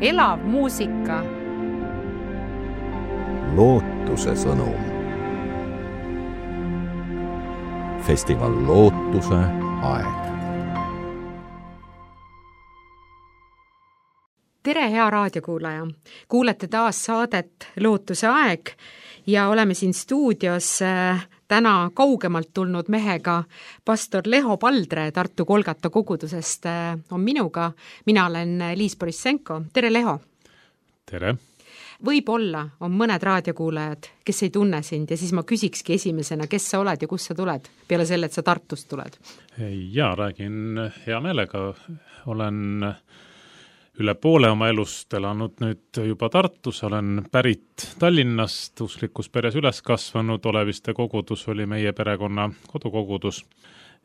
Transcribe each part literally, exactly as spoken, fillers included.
elav muusika. Lootuse sõnum. Festival Lootuse aeg. Tere, hea raadiokuulaja! Kuulete taas saadet Lootuse aeg ja oleme siin stuudios täna kaugemalt tulnud mehega. Pastor Leho Paldre Tartu Golgata kogudusest on minuga. Mina olen Liis Borissenko. Tere, Leho! Tere! Võib-olla on mõned raadiokuulajad, kes ei tunne sind ja siis ma küsikski esimesena, kes sa oled ja kus sa tuled, peale selle, et sa Tartust tuled? Jaa, räägin hea meelega. Olen üle poole oma elust elanud nüüd juba Tartus, olen pärit Tallinnast, usklikus peres üles kasvanud, Oleviste kogudus oli meie perekonna kodukogudus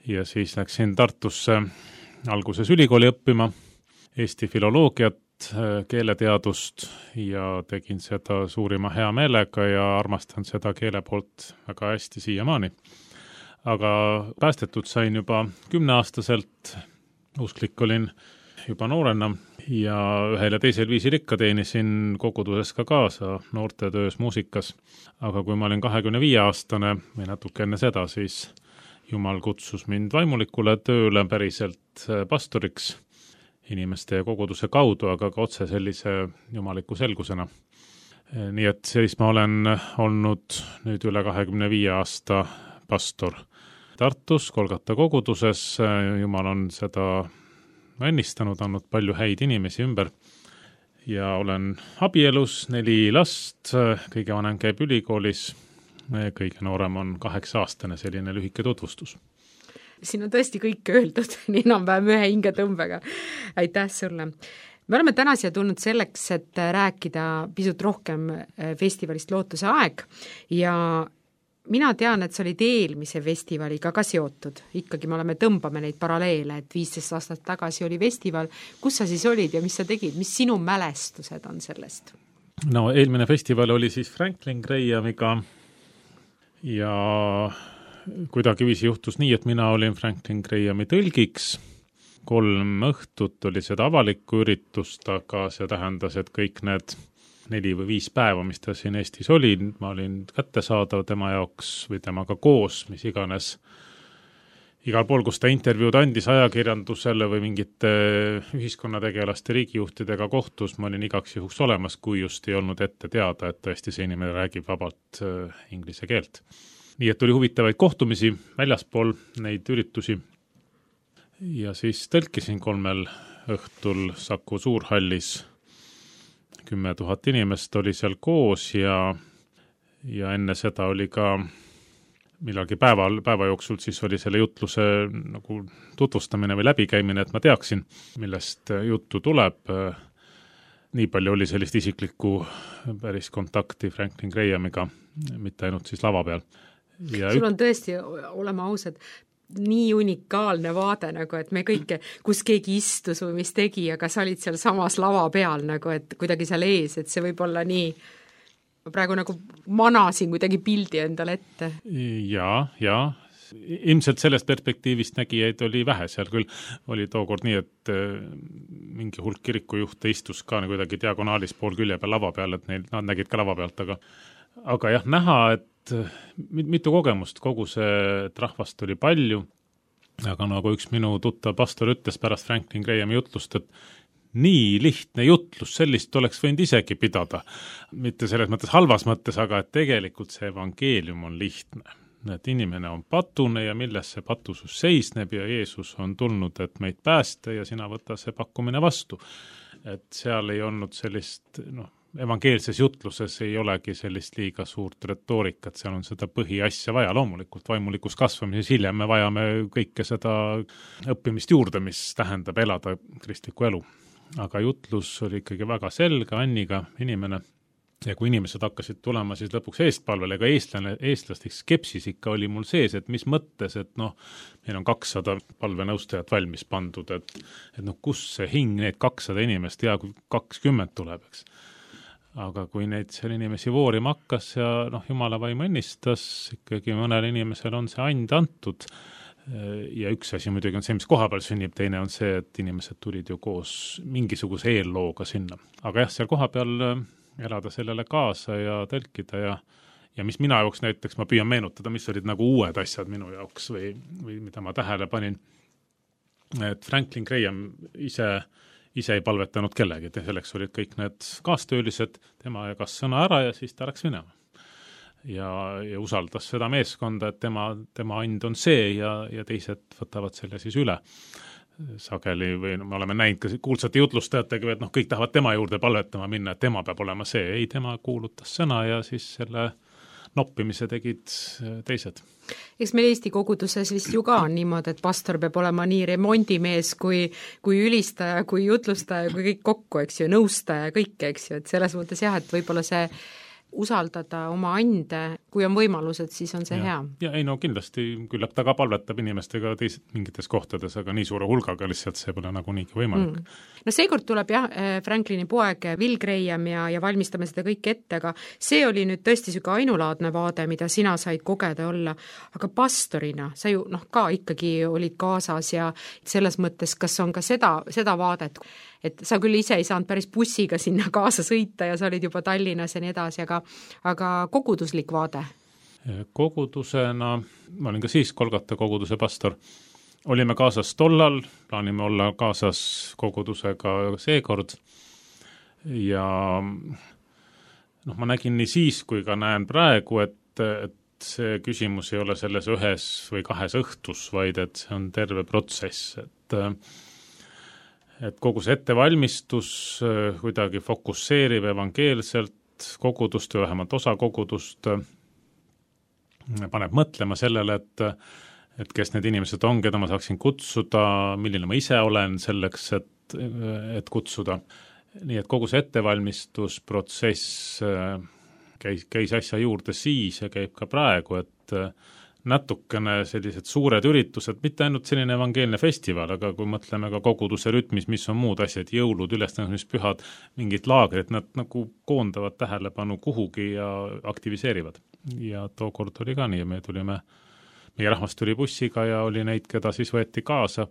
ja siis läksin Tartusse alguses ülikooli õppima Eesti filoloogiat, keeleteadust ja tegin seda suurima hea meelega ja armastan seda keele poolt väga hästi siiamaani. Aga päästetud sain juba kümneaastaselt, usklik olin juba noorena ja ühel ja teisel viisil ikka teenisin koguduses ka kaasa noortetöös muusikas. Aga kui ma olin kahekümne viie aastane või natuke enne seda, siis Jumal kutsus mind vaimulikule tööle päriselt pastoriks inimeste ja koguduse kaudu, aga ka otse sellise jumaliku selgusena. Nii et siis ma olen olnud nüüd üle kahekümne viie aasta pastor Tartus, Golgata koguduses. Jumal on seda õnnistanud, andnud palju häid inimesi ümber ja olen abielus, neli last, kõige vanem käib ülikoolis, kõige noorem on kaheksa aastane, selline lühike tutvustus. Siin on tõesti kõik öeldud, nii enam-vähem ühe hingetõmbega. Aitäh sulle! Me oleme täna siia tulnud selleks, et rääkida pisut rohkem festivalist Lootuse aeg ja mina tean, et sa olid eelmise festivaliga ka seotud. Ikkagi me oleme tõmbame neid paralleele, et viisteist aastat tagasi oli festival. Kus sa siis olid ja mis sa tegid? Mis sinu mälestused on sellest? No eelmine festival oli siis Franklin Grahamiga ja kuidagi viisi juhtus nii, et mina olin Franklin Grahami tõlgiks. Kolm õhtut oli seda avalikku üritust, aga see tähendas, et kõik need neli või viis päeva, mis ta siin Eestis oli, ma olin kättesaadav tema jaoks või temaga koos, mis iganes. Igal pool, kus ta intervjuud andis ajakirjandusele või mingite ühiskonnategelaste riigijuhtidega kohtus, ma olin igaks juhuks olemas, kui just ei olnud ette teada, et tõesti see inimene räägib vabalt inglise keelt. Nii et oli huvitavaid kohtumisi väljaspool neid üritusi ja siis tõlkisin kolmel õhtul Saku Suurhallis. Kümme tuhat inimest oli seal koos ja, ja enne seda oli ka millalgi päeval, päeva jooksul siis oli selle jutluse nagu tutvustamine või läbikäimine, et ma teaksin, millest juttu tuleb. Nii palju oli sellist isiklikku päris kontakti Franklin Grahamiga, mitte ainult siis lava peal. Ja sul on tõesti, olema ausad, nii unikaalne vaade, nagu, et me kõike, kus keegi istus või mis tegi, aga sa olid seal samas lava peal, nagu, et kuidagi seal ees, et see võib olla nii, ma praegu nagu manasin kuidagi pildi endale ette. Jaa, jaa. Ilmselt sellest perspektiivist nägijaid oli vähe, seal küll oli tookord nii, et mingi hulk kirikujuhte istus ka kuidagi diagonaalis pool külje peal lava peal, et neil, nad nägid ka lava pealt, aga, aga jah, näha, et mitu kogemust, kogu see rahvast oli palju, aga nagu üks minu tuttav pastor ütles pärast Franklin Grahami jutlust, et nii lihtne jutlus, sellist oleks võinud isegi pidada. Mitte selles mõttes halvas mõttes, aga et tegelikult see evangeelium on lihtne. Et inimene on patune ja milles see patusus seisneb ja Jeesus on tulnud, et meid päästa ja sina võta see pakkumine vastu. Et seal ei olnud sellist, noh, evangeelses jutluses ei olegi sellist liiga suurt retoorikat, seal on seda põhiasja vaja, loomulikult vaimulikus kasvamises hiljem me vajame kõike seda õppimist juurde, mis tähendab elada kristlikku elu. Aga jutlus oli ikkagi väga selge, Anniga inimene ja kui inimesed hakkasid tulema siis lõpuks eestpalvele, ega eestlane, eestlasteks skepsis ikka oli mul sees, et mis mõttes, et noh, meil on kakssada palvenõustajat valmis pandud, et, et noh, kus see hing neid kakssada inimest ja kui kakskümmend tuleb, eks. Aga kui neid seal inimesi voorima hakkas ja noh, Jumala vaim õnnistas, ikkagi mõnel inimesel on see and antud, ja üks asi muidugi on see, mis koha peal sünnib, teine on see, et inimesed tulid ju koos mingisuguse eellooga sinna. Aga jah, seal koha peal elada sellele kaasa ja tõlkida ja ja mis mina jaoks näiteks, ma püüan meenutada, mis olid nagu uued asjad minu jaoks või, või mida ma tähele panin, et Franklin Graham ise, ise ei palvetanud kellegi, selleks olid kõik need kaastöölised, tema jagas sõna ära ja siis ta läks minema. Ja, ja usaldas seda meeskonda, et tema, tema and on see ja, ja teised võtavad selle siis üle. Sageli või no, me oleme näinud ka kuulsate jutlustajatega, et noh, kõik tahavad tema juurde palvetama minna, et tema peab olema see. Ei, tema kuulutas sõna ja siis selle noppimise tegid teised. Eks meil Eesti koguduses vist ju ka on niimoodi, et pastor peab olema nii remondimees kui, kui ülistaja, kui jutlustaja, kui kõik kokku, eks ju, nõustaja, kõik, eks ju, et selles mõttes jah, et võib-olla see usaldada oma ande, kui on võimalused, siis on see ja, hea. Ja ei no kindlasti, küllap ta ka palvetab inimestega teised mingites kohtades, aga nii suure hulgaga lihtsalt see pole nagu niigi võimalik. Mm. No seekord tuleb jah, Franklini poeg Will Graham ja, ja valmistame seda kõik ette, aga see oli nüüd tõesti süge ainulaadne vaade, mida sina said kogeda olla, aga pastorina sa ju noh, ka ikkagi olid kaasas ja selles mõttes, kas on ka seda, seda vaadet, et sa küll ise ei saanud päris bussiga sinna kaasa sõita ja sa olid juba Tallinnas ja nii edasi, aga, aga koguduslik vaade? Kogudusena, ma olin ka siis Kolgata koguduse pastor, olime kaasas tollal, plaanime olla kaasas kogudusega seekord ja noh, ma nägin nii siis, kui ka näen praegu, et, et see küsimus ei ole selles ühes või kahes õhtus, vaid et see on terve protsess, et et kogu see ettevalmistus kuidagi fokusseerib evangeelselt kogudust või vähemalt osa kogudust, paneb mõtlema sellele, et, et kes need inimesed on, keda ma saaksin kutsuda, milline ma ise olen selleks, et, et kutsuda. Nii et kogu see ettevalmistusprotsess käis, käis asja juurde siis ja käib ka praegu, et natukene sellised suured üritused, mitte ainult selline evangeelne festival, aga kui mõtleme ka koguduse rütmis, mis on muud asjad, jõulud, ülestõusmispühad, mingid laagrid, nad nagu koondavad tähelepanu kuhugi ja aktiviseerivad. Ja tookord oli ka nii, me tulime, meie rahvas tuli bussiga ja oli neid, keda siis võeti kaasa.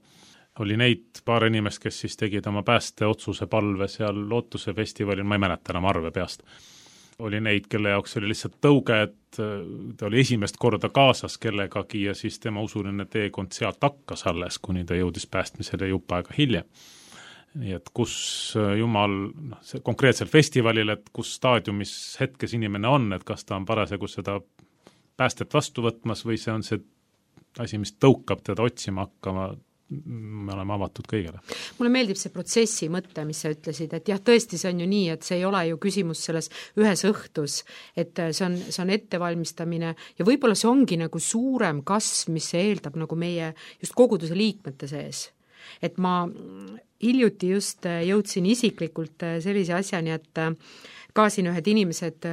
Oli neid paar inimest, kes siis tegid oma päästeotsuse palve seal Lootuse festivalil, ma ei mäleta enam arve peast. Oli neid, kelle jaoks oli lihtsalt tõuge, et ta oli esimest korda kaasas kellegagi ja siis tema usuline teekond sealt hakkas alles, kuni ta jõudis päästmisele jupp aega hiljem. Nii et kus Jumal, noh, see konkreetsel festivalil, et kus staadiumis hetkes inimene on, et kas ta on parasjagu seda päästet vastu võtmas või see on see asi, mis tõukab teda otsima hakkama, me oleme avatud kõigele. Mulle meeldib see protsessi mõte, mis sa ütlesid, et jah, tõesti see on ju nii, et see ei ole ju küsimus selles ühes õhtus, et see on, see on ettevalmistamine ja võib-olla see ongi nagu suurem kasv, mis see eeldab nagu meie just koguduse liikmete sees. Et ma hiljuti just jõudsin isiklikult sellise asjani, et ka siin ühed inimesed,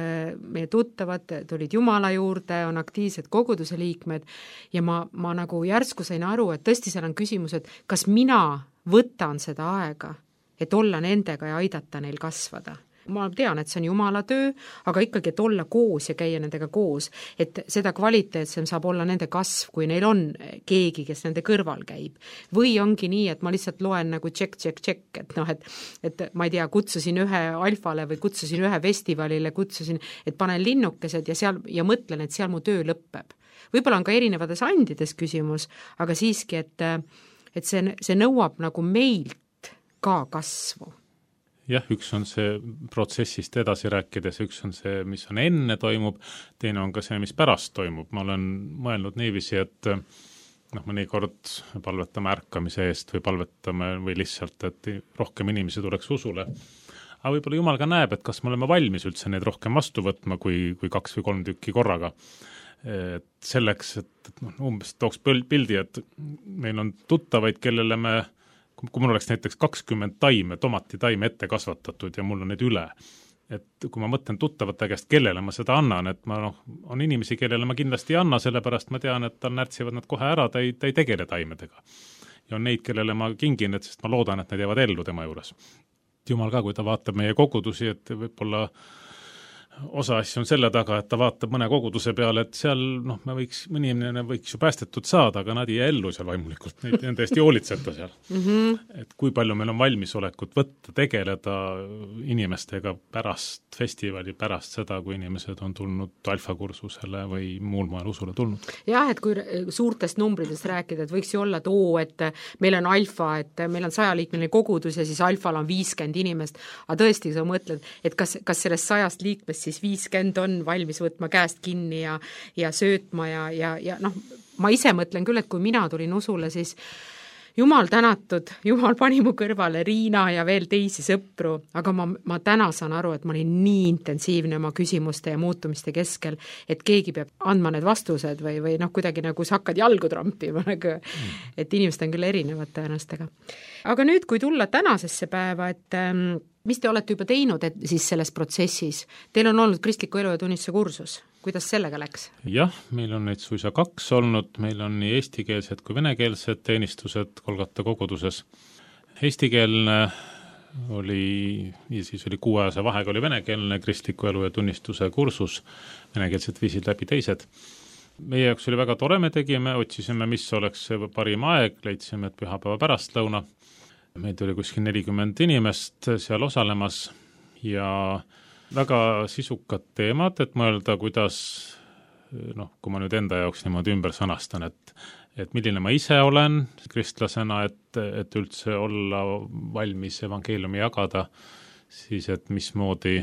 meie tuttavad, tulid Jumala juurde, on aktiivsed koguduse liikmed ja ma, ma nagu järsku sain aru, et tõesti seal on küsimus, et kas mina võtan seda aega, et olla nendega ja aidata neil kasvada. Ma tean, et see on Jumala töö, aga ikkagi, et olla koos ja käia nendega koos, et seda kvaliteetsem saab olla nende kasv, kui neil on keegi, kes nende kõrval käib. Või ongi nii, et ma lihtsalt loen nagu tšek, tšek, tšek, et noh, et, et ma ei tea, kutsusin ühe alfale või kutsusin ühe festivalile, kutsusin, et panen linnukesed ja seal ja mõtlen, et seal mu töö lõppeb. Võib-olla on ka erinevates andides küsimus, aga siiski, et, et see, see nõuab nagu meilt ka kasvu. Jah, üks on see protsessist edasi rääkides, üks on see, mis on enne toimub, teine on ka see, mis pärast toimub. Ma olen mõelnud niiviisi, et noh, mõnikord palvetame ärkamise eest või palvetame või lihtsalt, et rohkem inimesi tuleks usule. Aga võib-olla Jumal ka näeb, et kas me oleme valmis üldse neid rohkem vastu võtma kui, kui kaks või kolm tükki korraga. Et selleks, et, et noh, umbes tooks pildi, et meil on tuttavaid, kellele me kui mul oleks näiteks kakskümmend taime, tomati taime ette kasvatatud ja mul on need üle, et kui ma mõtlen tuttavate käest, kellele ma seda annan, et ma noh, on inimesi, kellele ma kindlasti ei anna, sellepärast ma tean, et tal närtsivad nad kohe ära, ta ei, ta ei tegele taimedega. Ja on neid, kellele ma kingin, et sest ma loodan, et nad jäävad ellu tema juures. Jumal ka, kui ta vaatab meie kogudusi, et võib-olla osa asju on selle taga, et ta vaatab mõne koguduse peale, et seal noh, me võiks, mõni inimene võiks ju päästetud saada, aga nad ei jää ellu seal vaimulikult, neid on täiesti hoolitseta seal mm. -hmm. Et kui palju meil on valmisolekut võtta, tegeleda inimestega pärast festivali, pärast seda, kui inimesed on tulnud alfakursusele või muul moel usule tulnud. Jah, et kui suurtest numbritest rääkida, et võiks ju olla, et oo, et meil on alfa, et meil on sajaliikmeline kogudus ja siis alfal on viiskümmend inimest, aga tõesti, sa mõtled, et kas, kas sellest sajast liikmest siis viiskümmend on valmis võtma käest kinni ja, ja söötma ja, ja, ja noh, ma ise mõtlen küll, et kui mina tulin usule, siis jumal tänatud, jumal pani mu kõrvale Riina ja veel teisi sõpru, aga ma, ma täna saan aru, et ma olin nii intensiivne oma küsimuste ja muutumiste keskel, et keegi peab andma need vastused või, või noh, kuidagi nagu sa hakkad jalgu trampima, nagu, et inimesed on küll erinevad tõenäostega. Aga nüüd, kui tulla tänasesse päeva, et ähm, mis te olete juba teinud et siis selles protsessis? Teil on olnud kristliku elu ja tunnistuse kursus. Kuidas sellega läks? Jah, meil on neid suisa kaks olnud, meil on nii eestikeelsed kui venekeelsed teenistused Kolgata koguduses. Eestikeelne oli, ja siis oli kuuajase vahega oli venekeelne kristliku elu ja tunnistuse kursus, venekeelset viisid läbi teised. Meie jaoks oli väga tore, me tegime, otsisime, mis oleks see parim aeg, leidsime, et pühapäeva pärastlõuna. Meid oli kuskil nelikümmend inimest seal osalemas ja väga sisukad teemad, et mõelda, kuidas, noh, kui ma nüüd enda jaoks niimoodi ümber sõnastan, et, et milline ma ise olen kristlasena, et, et üldse olla valmis evangeeliumi jagada, siis et mismoodi,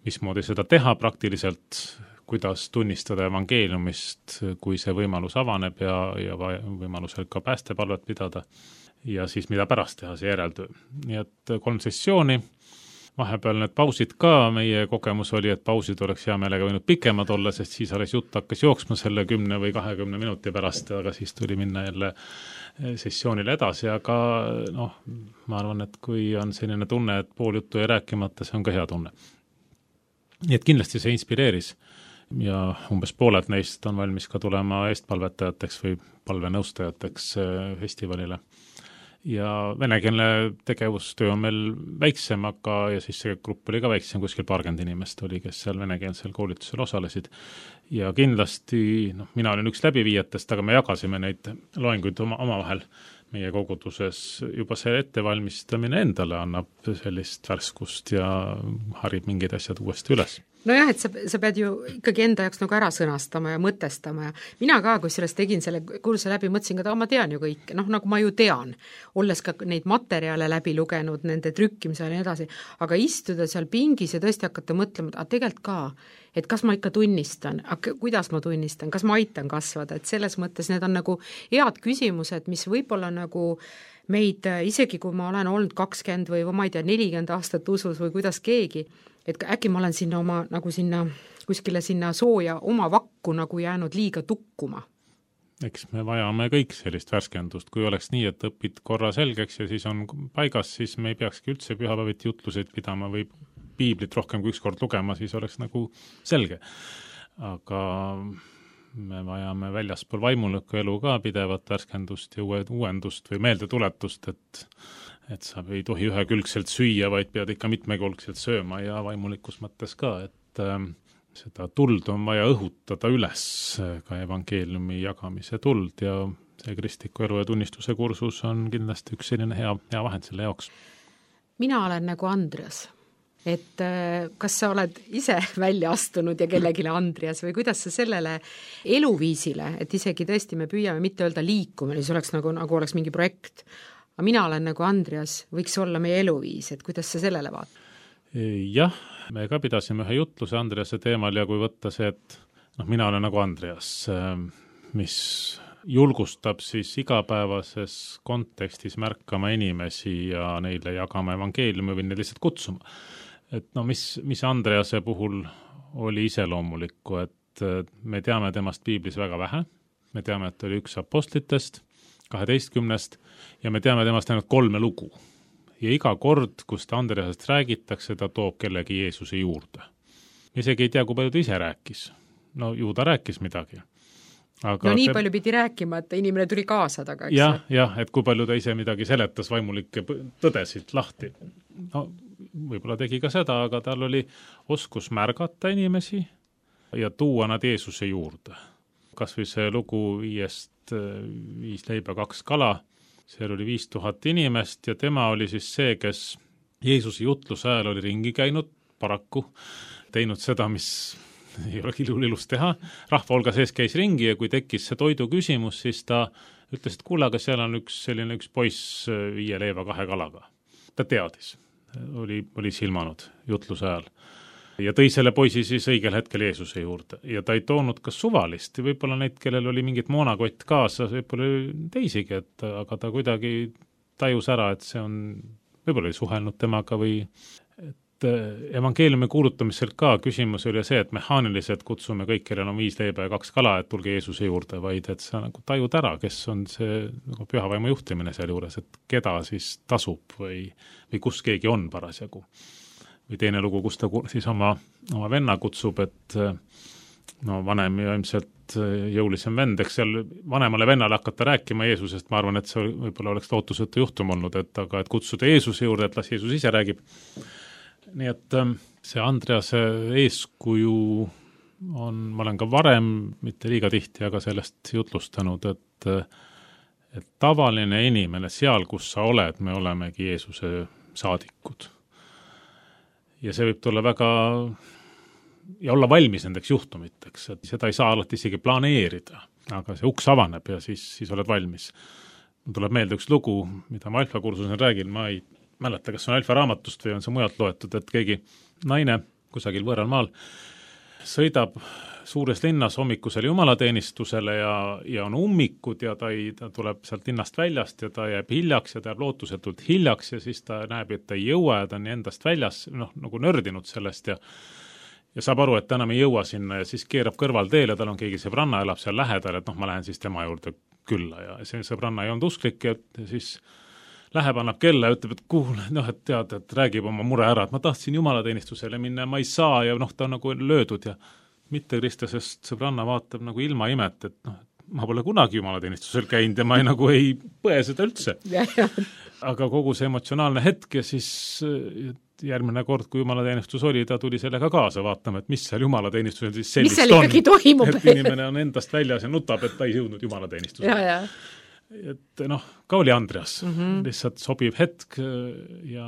mismoodi seda teha praktiliselt, kuidas tunnistada evangeeliumist, kui see võimalus avaneb ja, ja võimalusel ka päästepalvet pidada. Ja siis mida pärast teha, see järeltöö. Nii et kolm sessiooni, vahepeal need pausid ka, meie kogemus oli, et pausid oleks hea meelega võinud pikemad olla, sest siis alles jutt hakkas jooksma selle kümne või kahekümne minuti pärast, aga siis tuli minna jälle sessioonile edasi, aga noh, ma arvan, et kui on selline tunne, et pool juttu ei rääkimata, see on ka hea tunne. Nii et kindlasti see inspireeris ja umbes pooled neist on valmis ka tulema eestpalvetajateks või palvenõustajateks festivalile. Ja venekeelne tegevustöö on meil väiksem, aga ja siis see grupp oli ka väiksem, kuskil paarkümmend inimest oli, kes seal venekeelsel koolitusel osalesid. Ja kindlasti, noh, mina olin üks läbiviijatest, aga me jagasime neid loenguid oma, oma vahel meie koguduses. Juba see ettevalmistamine endale annab sellist värskust ja harib mingid asjad uuesti üles. Nojah, et sa, sa pead ju ikkagi enda jaoks nagu ära sõnastama ja mõtestama ja mina ka, kui sellest tegin selle kurse läbi, mõtlesin ka, et ma tean ju kõik, noh, nagu ma ju tean, olles ka neid materjale läbi lugenud, nende trükkimisel ja nii edasi, aga istuda seal pingis ja tõesti hakata mõtlema, et tegelikult ka, et kas ma ikka tunnistan, kuidas ma tunnistan, kas ma aitan kasvada, et selles mõttes need on nagu head küsimused, mis võib-olla nagu meid, isegi kui ma olen olnud kakskümmend või ma ei tea, nelikümmend aastat usus või kuidas keegi, et äkki ma olen sinna oma, nagu sinna, kuskile sinna sooja oma vakku nagu jäänud liiga tukkuma. Eks me vajame kõik sellist värskendust, kui oleks nii, et õpid korra selgeks ja siis on paigas, siis me ei peakski üldse pühapäeviti jutluseid pidama või piiblit rohkem kui üks kord lugema, siis oleks nagu selge. Aga me vajame väljaspool vaimulikku elu ka pidevat värskendust ja uuendust või meeldetuletust, et et sa ei tohi ühekülgselt süüa, vaid pead ikka mitmekülgselt sööma ja vaimulikus mõttes ka, et äh, seda tuld on vaja õhutada üles, ka evangeeliumi jagamise tuld ja see kristliku elu ja tunnistuse kursus on kindlasti üks selline hea, hea vahend selle jaoks. Mina olen nagu Andreas, et äh, kas sa oled ise välja astunud ja kellegile Andreas või kuidas sa sellele eluviisile, et isegi tõesti me püüame mitte öelda liikumine, siis oleks nagu, nagu oleks mingi projekt, aga mina olen nagu Andreas, võiks olla meie eluviis, et kuidas sa sellele vaatad? Jah, me ka pidasime ühe jutluse Andrease teemal ja kui võtta see, et noh, mina olen nagu Andreas, mis julgustab siis igapäevases kontekstis märkama inimesi ja neile jagama evangeeliumi või neile lihtsalt kutsuma. Et no mis, mis Andrease puhul oli iseloomulikku, et me teame temast piiblis väga vähe, me teame, et oli üks apostlitest, kaheteistkümnest ja me teame temast ainult kolme lugu. Ja iga kord, kus ta Andreasest räägitakse, ta toob kellegi Jeesuse juurde. Isegi ei tea, kui palju ta ise rääkis. No ju ta rääkis midagi. Aga no nii see... palju pidi rääkima, et inimene tuli kaasa taga. Jah, jah, et kui palju ta ise midagi seletas vaimulikke tõdesid lahti. No võib-olla tegi ka seda, aga tal oli oskus märgata inimesi ja tuua nad Jeesuse juurde. Kas või see lugu viiest, viis leiba, kaks kala, seal oli viis tuhat inimest ja tema oli siis see, kes Jeesuse jutluse ajal oli ringi käinud, paraku teinud seda, mis ei ole kilul ilus teha. Rahva hulga sees käis ringi ja kui tekkis see toidu küsimus, siis ta ütles, et kuule, aga seal on üks selline üks poiss viie leiva kahe kalaga. Ta teadis, oli, oli silmanud jutluse ajal. Ja tõi selle poisi siis õigel hetkel Jeesuse juurde. Ja ta ei toonud ka suvalist. Võib-olla neid, kellel oli mingit moonakott kaasa, võib-olla teisigi, et, aga ta kuidagi tajus ära, et see on, võib-olla oli suhelnud temaga või et evangeeliumi kuulutamisel ka küsimus oli see, et mehaaniliselt kutsume kõik, kellel on viis leiba ja kaks kala, et tulge Jeesuse juurde, vaid et sa nagu tajud ära, kes on see nagu pühavaimu juhtimine seal juures, et keda siis tasub või, või kus keegi on parasjagu. Või teine lugu, kus ta siis oma, oma venna kutsub, et no vanem ja ilmselt jõulisem vend, eks seal vanemale vennale hakata rääkima Jeesusest, ma arvan, et see võib-olla oleks lootusetu juhtum olnud, et aga et kutsuda Jeesuse juurde, et las Jeesus ise räägib. Nii et see Andrease eeskuju on, ma olen ka varem, mitte liiga tihti, aga sellest jutlustanud, et, et tavaline inimene seal, kus sa oled, me olemegi Jeesuse saadikud. Ja see võib tulla väga ja olla valmis nendeks juhtumiteks, et seda ei saa alati isegi planeerida, aga see uks avaneb ja siis, siis oled valmis. Mul tuleb meelde üks lugu, mida ma alfa kursusel räägin, ma ei mäleta, kas on alfa raamatust või on see mujalt loetud, et keegi naine kusagil võõral maal sõidab suures linnas hommikusele jumalateenistusele ja, ja on ummikud ja ta, ei, ta tuleb sealt linnast väljast ja ta jääb hiljaks ja ta jääb lootusetult hiljaks ja siis ta näeb, et ta ei jõua ja ta on endast väljas, noh, nagu nördinud sellest ja ja saab aru, et ta enam ei jõua sinna ja siis keerab kõrval teel ja tal on keegi sõbranna, elab seal lähedal, et noh, ma lähen siis tema juurde külla ja see sõbranna ei olnud usklik ja siis läheb, annab kella ja ütleb, et kuule, noh, et tead, et räägib oma mure ära, et ma tahtsin jumalateenistusele minna ja ma ei saa ja noh, ta on nagu löödud ja mitte kristlasest sõbranna vaatab nagu ilma imet, et noh, ma pole kunagi jumalateenistusel käinud ja ma ei, nagu ei põe seda üldse. Aga kogu see emotsionaalne hetk ja siis järgmine kord, kui jumalateenistus oli, ta tuli sellega kaasa vaatama, et mis seal jumalateenistusel siis sellist on. Mis seal ikkagi toimub? Et inimene on endast väljas ja nutab, et ta ei jõudnud jumalateenistusele. Ja, ja. Et noh, ka oli Andreas, mm -hmm. lihtsalt sobiv hetk ja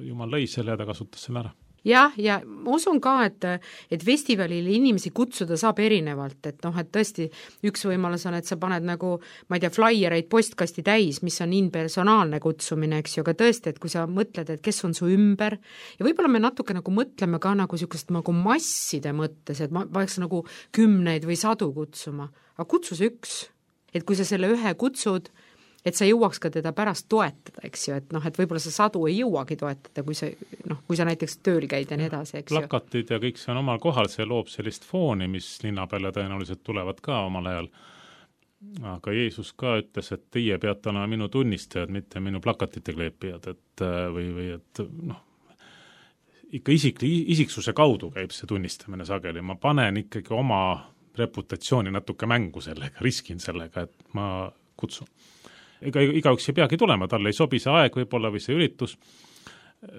jumal lõi selle ja ta kasutas selle ära. Jah, ja ma usun ka, et, et festivalil inimesi kutsuda saab erinevalt, et noh, et tõesti üks võimalus on, et sa paned nagu, ma ei tea, flaiereid postkasti täis, mis on impersonaalne kutsumine, eks ju, aga tõesti, et kui sa mõtled, et kes on su ümber ja võib-olla me natuke nagu mõtleme ka nagu niisugust nagu masside mõttes, et ma peaks nagu kümneid või sadu kutsuma, aga kutsus üks. Et kui sa selle ühe kutsud, et sa jõuaks ka teda pärast toetada, eks ju, et noh, et võib-olla sa sadu ei jõuagi toetada, kui sa, noh, kui sa näiteks tööl käid ja nii edasi, eks ju. Plakatid ja kõik see on omal kohal, see loob sellist fooni, mis linna peale tõenäoliselt tulevad ka omal ajal. Aga Jeesus ka ütles, et teie peate olema minu tunnistajad, mitte minu plakatite kleepijad, et või, või et noh, ikka isik, isiksuse kaudu käib see tunnistamine sageli. Ma panen ikkagi oma reputatsiooni natuke mängu sellega, riskin sellega, et ma kutsun. Ega igaüks ei peagi tulema, talle ei sobi see aeg võib-olla või see üritus,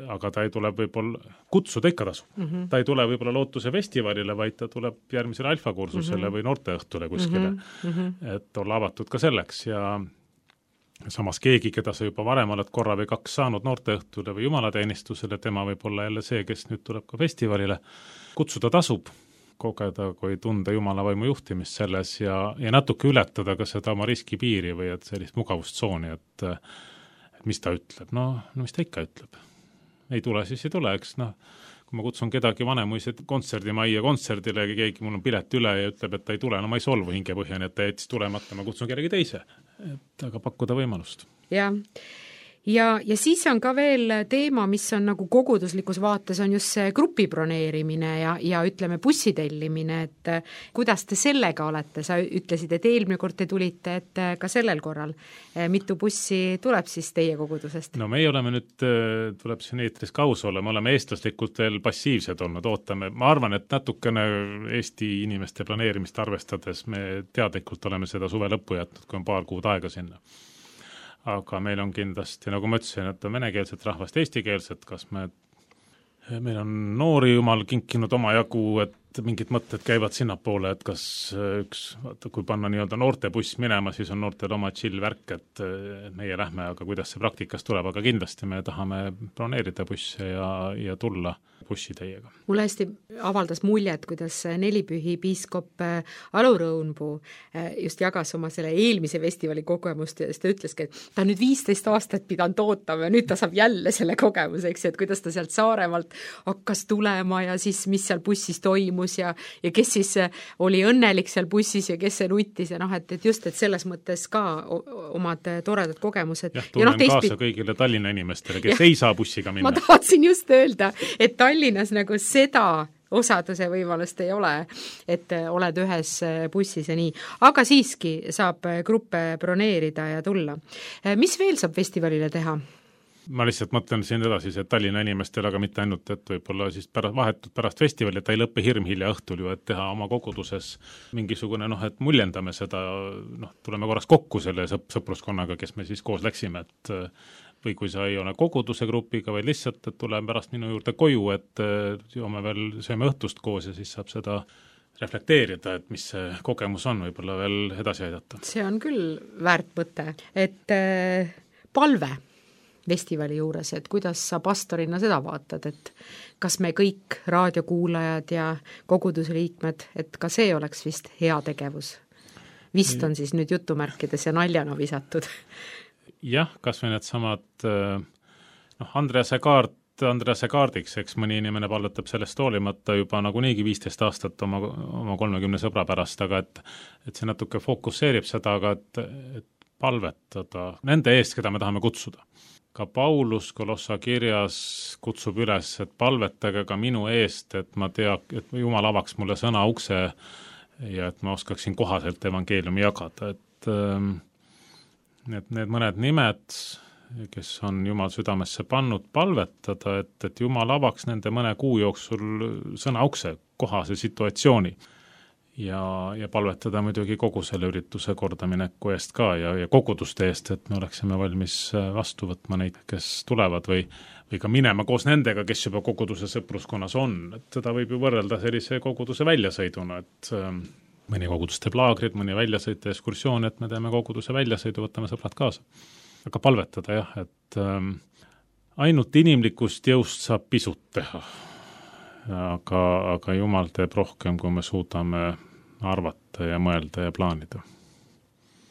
aga ta ei tule võib-olla, kutsuda ikka tasu. Mm -hmm. Ta ei tule võib-olla Lootuse festivalile, vaid ta tuleb järgmisele alfakursusele mm -hmm. või noorteõhtule kuskile, mm -hmm. et olla avatud ka selleks ja samas keegi, keda sa juba varem oled korra või kaks saanud noorteõhtule või jumalateenistusele, tema võib olla jälle see, kes nüüd tuleb ka festivalile. Kutsuda tasub, kogeda, kui tunda Jumala vaimu juhtimist selles ja, ja natuke ületada ka seda oma riskipiiri või et sellist mugavustsooni, et, et mis ta ütleb. No, no mis ta ikka ütleb. Ei tule, siis ei tule, eks noh, kui ma kutsun kedagi Vanemuise kontserdimajja kontserdile, keegi mul on pilet üle ja ütleb, et ta ei tule, no ma ei solvu hingepõhjani, et ta jättis tulemata, ma kutsun kellegi teise, et aga pakkuda võimalust. Jah. Ja, ja siis on ka veel teema, mis on nagu koguduslikus vaates, on just see grupi broneerimine ja, ja ütleme bussitellimine, et kuidas te sellega olete, sa ütlesid, et eelmine kord te tulite, et ka sellel korral mitu bussi tuleb siis teie kogudusest? No meie oleme nüüd, tuleb siin eetris kaus olla, me oleme eestlaslikult veel passiivsed olnud, ootame, ma arvan, et natukene Eesti inimeste planeerimist arvestades me teadlikult oleme seda suve lõppu jätnud, kui on paar kuud aega sinna. Aga meil on kindlasti, nagu ma ütlesin, et on venekeelset rahvast, eestikeelset, kas me meil on noori jumal kinkinud oma jagu, et mingid mõtted käivad sinnapoole, et kas üks, vaata, kui panna nii-öelda noortebuss minema, siis on noortel oma chill värk, et meie lähme, aga kuidas see praktikas tuleb, aga kindlasti me tahame broneerida busse ja, ja tulla bussi teiega. Mulle hästi avaldas muljet, kuidas Nelipühi piiskop Alo Rõunpuu just jagas oma selle eelmise festivali kogemust ja ta ütleski, et ta on nüüd viisteist aastat pidanud ootama ja nüüd ta saab jälle selle kogemuseks, et kuidas ta sealt Saaremaalt hakkas tulema ja siis mis seal bussis toimus ja, ja kes siis oli õnnelik seal bussis ja kes see nuttis ja noh, et, et just, et selles mõttes ka omad toredad kogemused. Jah, tunnen ja no, kaasa kõigile Tallinna inimestele, kes ja, ei saa bussiga minna. Ma tahtsin just öelda, et Tallinnas nagu seda osaduse võimalust ei ole, et oled ühes bussis ja nii. Aga siiski saab gruppe broneerida ja tulla. Mis veel saab festivalile teha? Ma lihtsalt mõtlen siin edasi, see Tallinna inimestel, aga mitte ainult, et võib-olla siis pärast, vahetult pärast festivali, et ei lõppe hirm hilja õhtul ju, et teha oma koguduses mingisugune, noh, et muljendame seda, noh, tuleme korraks kokku selle sõp- sõpruskonnaga, kes me siis koos läksime, et või kui sa ei ole koguduse grupiga, vaid lihtsalt, et tuleme pärast minu juurde koju, et joome veel, sööme õhtust koos ja siis saab seda reflekteerida, et mis see kogemus on, võib-olla veel edasi aidata. See on küll väärt mõte, et äh, palve festivali juures, et kuidas sa pastorina seda vaatad, et kas me kõik raadiokuulajad ja koguduse liikmed, et ka see oleks vist hea tegevus. Vist on siis nüüd jutumärkides ja naljana visatud. Jah, kas või need samad, noh, Andrease kaart, Andrease kaardiks, eks mõni inimene palvetab sellest hoolimata juba nagu niigi viisteist aastat oma, oma kolmekümne sõbra pärast, aga et, et see natuke fokusseerib seda, aga et, et palvetada nende eest, keda me tahame kutsuda. Ka Paulus Kolossa kirjas kutsub üles, et palvetage ka minu eest, et ma tea, et Jumal avaks mulle sõna ukse ja et ma oskaksin kohaselt evangeeliumi jagada, et need, need mõned nimed, kes on Jumal südamesse pannud palvetada, et, et Jumal avaks nende mõne kuu jooksul sõna ukse kohase situatsiooni ja, ja palvetada muidugi kogu selle ürituse kordamineku eest ka ja, ja koguduste eest, et me oleksime valmis vastu võtma neid, kes tulevad või, või ka minema koos nendega, kes juba koguduse sõpruskonnas on, et seda võib ju võrrelda sellise koguduse väljasõiduna, et mõni kogudus teeb laagrid, mõni väljasõit ja ekskursioon, et me teeme koguduse väljasõidu, võtame sõbrad kaasa. Aga palvetada jah, et ähm, ainult inimlikust jõust saab pisut teha, aga, aga Jumal teeb rohkem, kui me suudame arvata ja mõelda ja plaanida.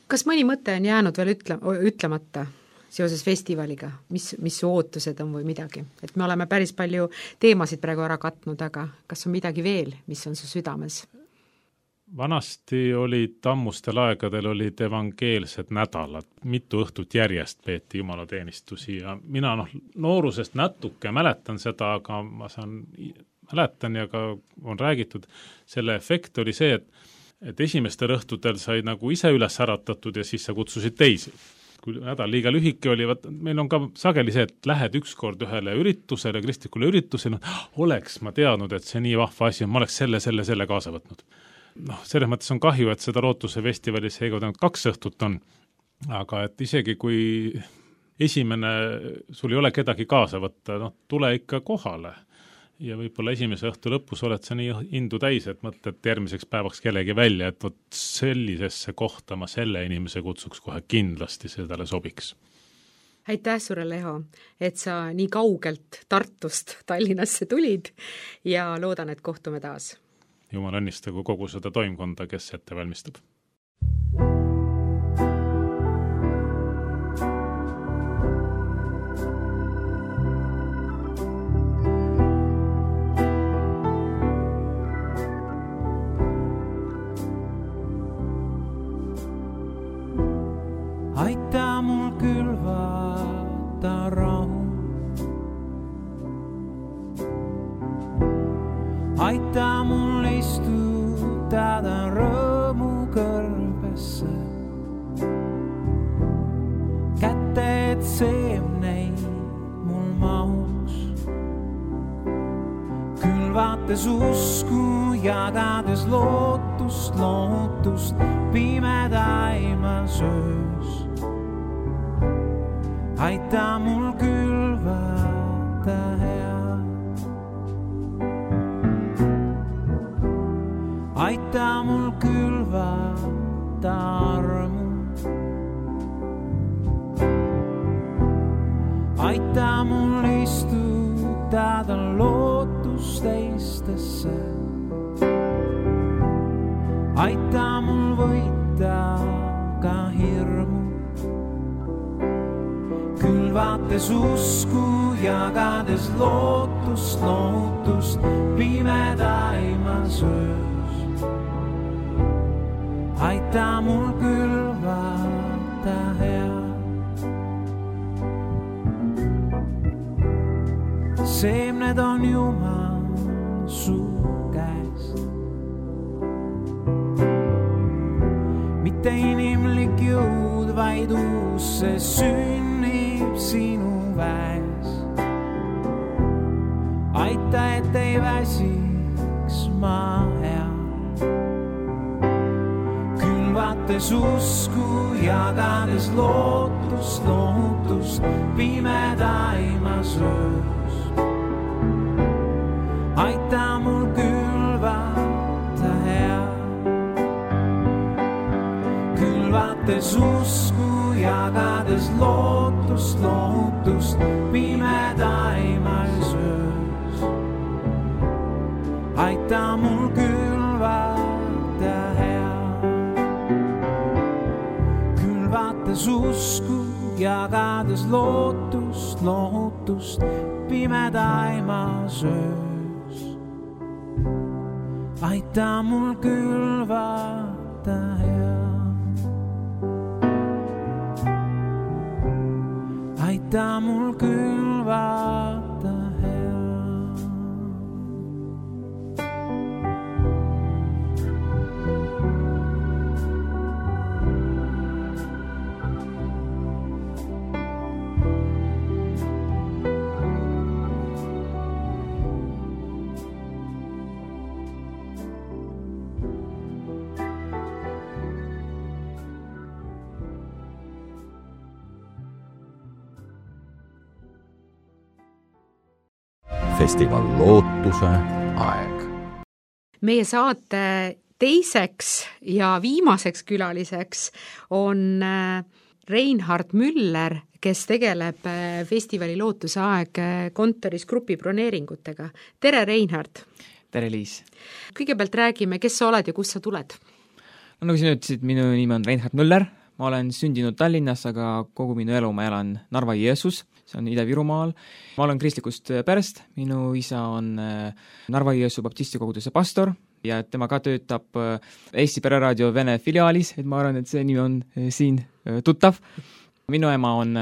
Kas mõni mõte on jäänud veel ütle, ütlemata seoses festivaliga, mis, mis su ootused on või midagi? Et me oleme päris palju teemasid praegu ära katnud, aga kas on midagi veel, mis on su südames? Vanasti olid ammustel aegadel olid evangeelsed nädalad, mitu õhtut järjest peeti jumalateenistusi ja mina noh, noorusest natuke mäletan seda, aga ma saan, mäletan ja ka on räägitud, selle efekt oli see, et, et esimestel õhtutel sai nagu ise üles äratatud ja siis sa kutsusid teisi. Kui nädal liiga lühike oli, vaat, meil on ka sageli see, et lähed ükskord ühele üritusele, kristlikule üritusele, oleks ma teadnud, et see nii vahva asi on, ma oleks selle, selle, selle kaasa võtnud. Noh, selles mõttes on kahju, et seda Lootuse festivalis seega kaks õhtut on, aga et isegi kui esimene, sul ei ole kedagi kaasa võtta, noh, tule ikka kohale ja võib-olla esimese õhtu lõpus oled sa nii indu täis, et mõtled järgmiseks päevaks kellegi välja, et vot sellisesse kohta ma selle inimese kutsuks kohe kindlasti, sedale sobiks. Aitäh sulle, Leho, et sa nii kaugelt Tartust Tallinnasse tulid ja loodan, et kohtume taas. Jumal õnnistagu kogu seda toimkonda, kes ette valmistab. Aita mul külvata rahu. Aita mul istutada rõõmu kõrbesse. Kätte, et seemneid mul mahus. Külvates usku, jagades lootust, lootust pimedaimal söös. Aita mul külvata head. jagada lootus teistesse. Aita mul võita ka hirmu, külvates usku, jagades lootust, lootust pimedaimas öös. Aita mul külvata head. Seemned on Jumal su käest. Mitte inimlik jõud, vaid uus see sünnib sinu väes. Aita, et ei väsiks ma hea. Külvates usku, jagades lootust, lootust pimedaimas öös. Aita mul külvata hea. Külvates usku, jagades lootust, lootust pimedaimas öös. Aita mul külvata hea. Külvates usku, jagades lootust, lootust pimedaimas öös. Aita mul külvata hea. Aita mul külvata hea. Festival Lootuse aeg. Meie saate teiseks ja viimaseks külaliseks on Reinhard Müller, kes tegeleb festivali Lootuse aeg kontoris grupi broneeringutega. Tere, Reinhard! Tere, Liis! Kõigepealt räägime, kes sa oled ja kust sa tuled? No, nagu sina ütlesid, minu nimi on Reinhard Müller, ma olen sündinud Tallinnas, aga kogu minu elu ma elan Narva-Jõesuus, see on Ida-Virumaal. Ma olen kristlikust perest, minu isa on Narva-Jõesuu baptisti koguduse pastor ja tema ka töötab Eesti Pereraadio Vene filiaalis, et ma arvan, et see nimi on siin tuttav. Minu ema on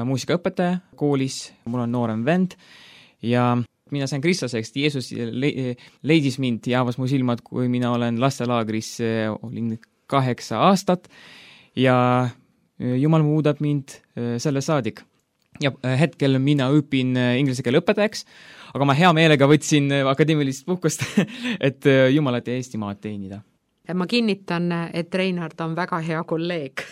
muusikaõpetaja koolis, mul on noorem vend ja mina sain kristlaseks, Jeesus leidis mind ja avas mu silmad, kui mina olen lastelaagris, olin kaheksa aastat ja Jumal muudab mind selle saadik. Ja hetkel mina õpin inglise keele õpetajaks, aga ma hea meelega võtsin akadeemilist puhkust, et Jumalat ja Eestimaad teenida. Ma kinnitan, et Reinhard on väga hea kolleeg.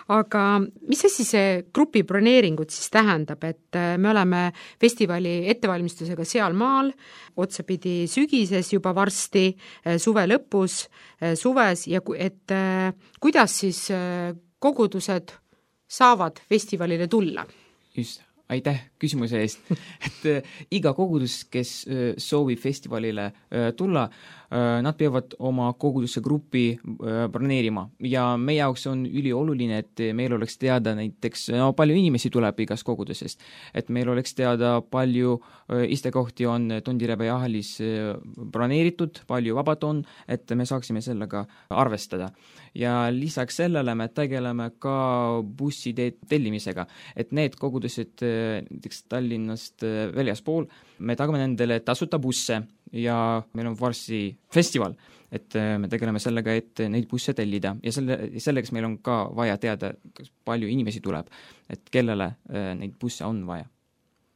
Aga mis asi see grupi broneeringud siis tähendab, et me oleme festivali ettevalmistusega seal maal, otsapidi sügises juba varsti, suve lõpus, suves ja et kuidas siis kogudused saavad festivalile tulla? Just, aitäh küsimuse eest. et iga kogudus, kes soovib festivalile tulla, nad peavad oma koguduse gruppi broneerima ja meie jaoks on ülioluline, et meil oleks teada näiteks, no palju inimesi tuleb igast kogudusest, et meil oleks teada palju istekohti on Tondirebe jahalis broneeritud, palju vabad on, et me saaksime sellega arvestada. Ja lisaks sellele me tegeleme ka bussi tellimisega, et need kogudused näiteks Tallinnast väljaspool, me tagame nendele tasuta busse ja meil on varsti festival, et me tegeleme sellega, et neid busse tellida ja selle, selleks meil on ka vaja teada, palju inimesi tuleb, et kellele neid busse on vaja.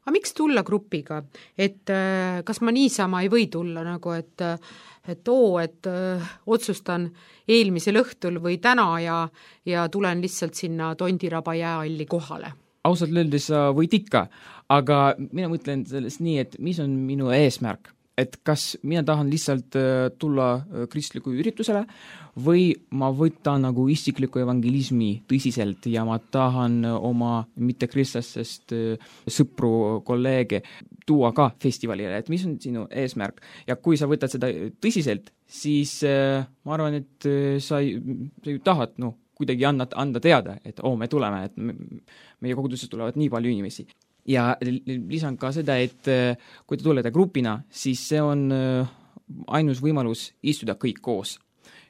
Aga miks tulla grupiga? Et kas ma niisama ei või tulla nagu, et, et oo, et öö, otsustan eelmisel õhtul või täna ja, ja tulen lihtsalt sinna Tondiraba jääalli kohale? Ausalt öeldes sa võid ikka, aga mina mõtlen sellest nii, et mis on minu eesmärk, et kas mina tahan lihtsalt tulla kristliku üritusele või ma võtan nagu isikliku evangelismi tõsiselt ja ma tahan oma mittekristlastest sõpru, kolleege tuua ka festivalile, et mis on sinu eesmärk. Ja kui sa võtad seda tõsiselt, siis ma arvan, et sa, sa ju tahad no, kuidagi anda, anda teada, et oo, me tuleme, et me, meie koguduses tulevad nii palju inimesi. Ja lisan ka seda, et kui te tulete grupina, siis see on ainus võimalus istuda kõik koos.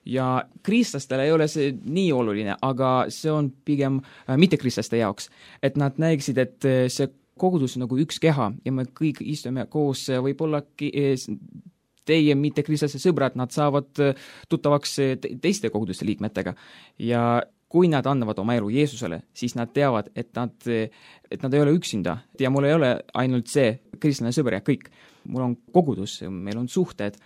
Ja kristlastele ei ole see nii oluline, aga see on pigem mittekristlaste jaoks, et nad näeksid, et see kogudus on nagu üks keha ja me kõik istume koos, võib-olla teie mittekristlaste sõbrad, nad saavad tuttavaks teiste koguduste liikmetega ja kui nad annavad oma elu Jeesusele, siis nad teavad, et nad, et nad ei ole üksinda ja mul ei ole ainult see kristlane sõber ja kõik. Mul on kogudus, meil on suhted,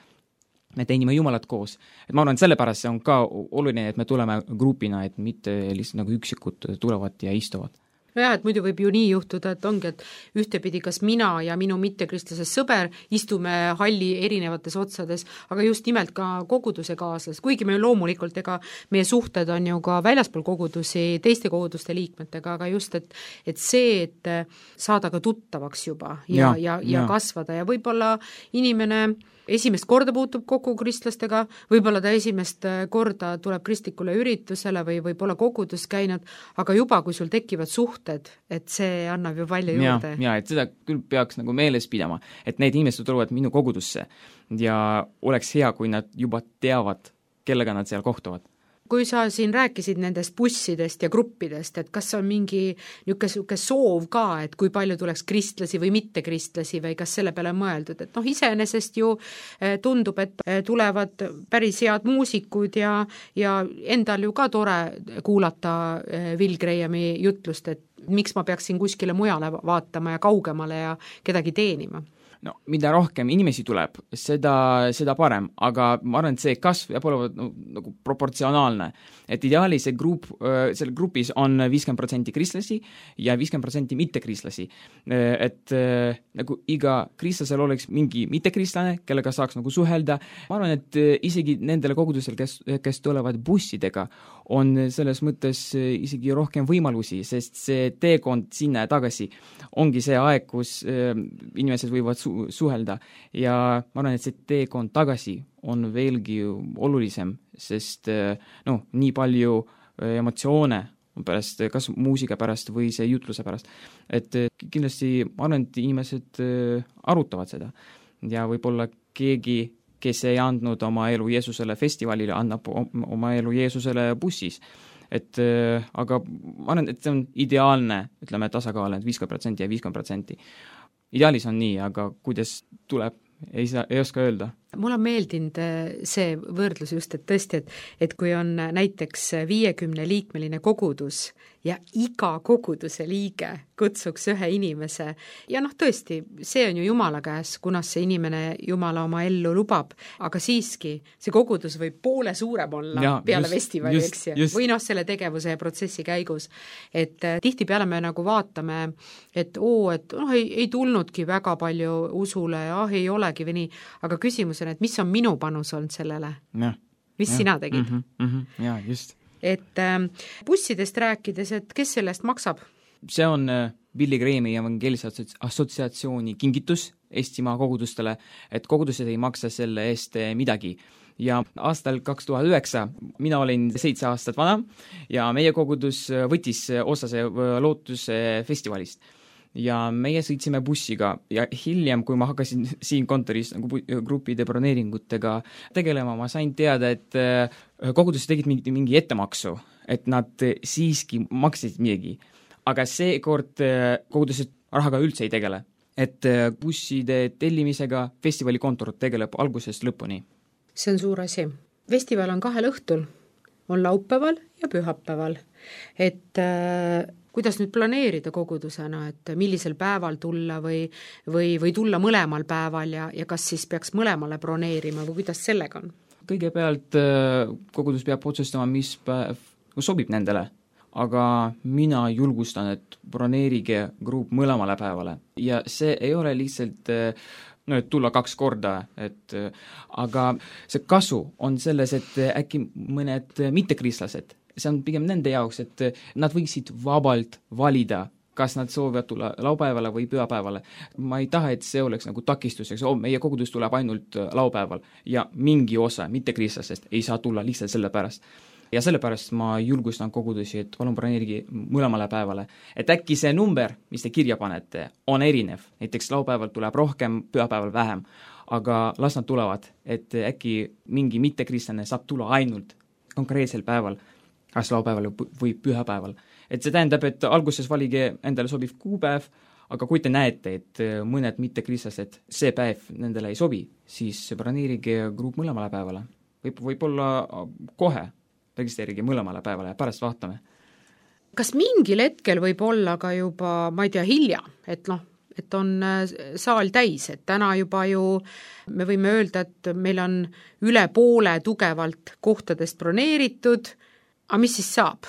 me teenime Jumalat koos. Et ma arvan, et sellepärast see on ka oluline, et me tuleme grupina, et mitte lihtsalt nagu üksikud tulevad ja istuvad. No jah, et muidu võib ju nii juhtuda, et ongi, et ühtepidi kas mina ja minu mittekristlase sõber istume halli erinevates otsades, aga just nimelt ka koguduse kaaslas, kuigi me loomulikult, ega meie suhted on ju ka väljaspool kogudusi teiste koguduste liikmetega, aga just, et, et see, et saada ka tuttavaks juba ja, ja, ja, ja, ja kasvada ja võib-olla inimene esimest korda puutub kokku kristlastega, võib-olla ta esimest korda tuleb kristlikule üritusele või võib-olla kogudus käinud, aga juba, kui sul tekivad suhted, et see annab ju palju juurde. Ja, ja, et seda küll peaks nagu meeles pidama, et need inimesed tulevad minu kogudusse ja oleks hea, kui nad juba teavad, kellega nad seal kohtuvad. Kui sa siin rääkisid nendest bussidest ja gruppidest, et kas on mingi niisugune soov ka, et kui palju tuleks kristlasi või mittekristlasi või kas selle peale mõeldud, et noh, iseenesest ju tundub, et tulevad päris head muusikud ja, ja endal ju ka tore kuulata Will Grahami jutlust, et miks ma peaksin kuskile mujale vaatama ja kaugemale ja kedagi teenima. No, mida rohkem inimesi tuleb, seda, seda parem, aga ma arvan, et see kasv peab olema no, nagu proportsionaalne. Et ideaalis see grupp, selle grupis on viiskümmend protsenti kristlasi ja viiskümmend protsenti mittekristlasi. Et nagu iga kristlasel oleks mingi mittekristlane, kellega saaks nagu suhelda. Ma arvan, et isegi nendele kogudusel, kes, kes tulevad bussidega, on selles mõttes isegi rohkem võimalusi, sest see teekond sinna ja tagasi ongi see aeg, kus inimesed võivad su- suhelda ja ma arvan, et see teekond tagasi on veelgi olulisem, sest no, nii palju emotsioone pärast, kas muusika pärast või see jutluse pärast, et kindlasti ma arvan, et inimesed arutavad seda ja võib-olla keegi kes ei andnud oma elu Jeesusele festivalile, annab oma elu Jeesusele bussis. Et, äh, aga ma arvan, et see on ideaalne, ütleme, tasakaal, et viiskümmend protsenti ja viiskümmend protsenti. Ideaalis on nii, aga kuidas tuleb, ei, saa, ei oska öelda. Mul on meeldinud see võrdlus just, et tõesti, et, et kui on näiteks viiekümne liikmeline kogudus ja iga koguduse liige kutsuks ühe inimese ja noh, tõesti, see on ju Jumala käes, kunas see inimene Jumala oma ellu lubab, aga siiski see kogudus võib poole suurem olla ja, peale just, festivali, eks ju, või noh, selle tegevuse ja protsessi käigus. Et tihtipeale me nagu vaatame, et oo, et noh, ei, ei tulnudki väga palju usule ja ah, ei olegi või nii, aga küsimus on, et mis on minu panus olnud sellele? Ja, mis ja, sina tegid? Mm -hmm, mm -hmm, ja, just. Et äh, bussidest rääkides, et kes sellest maksab? See on äh, Billy Grahami evangeelise assotsiatsiooni kingitus Eestimaa kogudustele, et kogudused ei maksa selle eest midagi. Ja aastal kaks tuhat üheksa mina olin seitse aastat vana ja meie kogudus võttis osa see lootuse festivalist. Ja meie sõitsime bussiga ja hiljem, kui ma hakkasin siin kontoris nagu grupide broneeringutega tegelema, ma sain teada, et kogudus tegid mingi, mingi ettemaksu, et nad siiski maksid midagi. Aga seekord kogudused rahaga üldse ei tegele. Et busside tellimisega festivalikontor tegeleb algusest lõpuni. See on suur asi. Festival on kahel õhtul, on laupäeval ja pühapäeval. Et äh, kuidas nüüd planeerida kogudusena, et millisel päeval tulla või, või, või tulla mõlemal päeval ja, ja kas siis peaks mõlemale broneerima või kuidas sellega on? Kõigepealt kogudus peab otsustama, mis päev sobib nendele, aga mina julgustan, et broneerige grupp mõlemale päevale ja see ei ole lihtsalt no et tulla kaks korda, et aga see kasu on selles, et äkki mõned mittekristlased, see on pigem nende jaoks, et nad võiksid vabalt valida, kas nad soovivad tulla laupäevale või pühapäevale. Ma ei taha, et see oleks nagu takistuseks, oh, meie kogudus tuleb ainult laupäeval ja mingi osa mittekristlasest ei saa tulla lihtsalt selle pärast. Ja sellepärast ma julgustan kogudusi, et palun broneerige mõlemale päevale. Et äkki see number, mis te kirja panete, on erinev. Näiteks laupäeval tuleb rohkem, pühapäeval vähem. Aga las nad tulevad, et äkki mingi mittekristlane saab tulla ainult konkreetsel päeval, kas laupäeval või pühapäeval. Et see tähendab, et alguses valige endale sobiv kuupäev, aga kui te näete, et mõned mittekristlased see päev nendele ei sobi, siis broneerige grupp mõlemale päevale. Võib, võib-olla kohe registreerige mõlemale päevale ja pärast vaatame. Kas mingil hetkel võib olla ka juba, ma ei tea, hilja, et noh, et on saal täis, et täna juba ju me võime öelda, et meil on üle poole tugevalt kohtadest broneeritud, aga mis siis saab?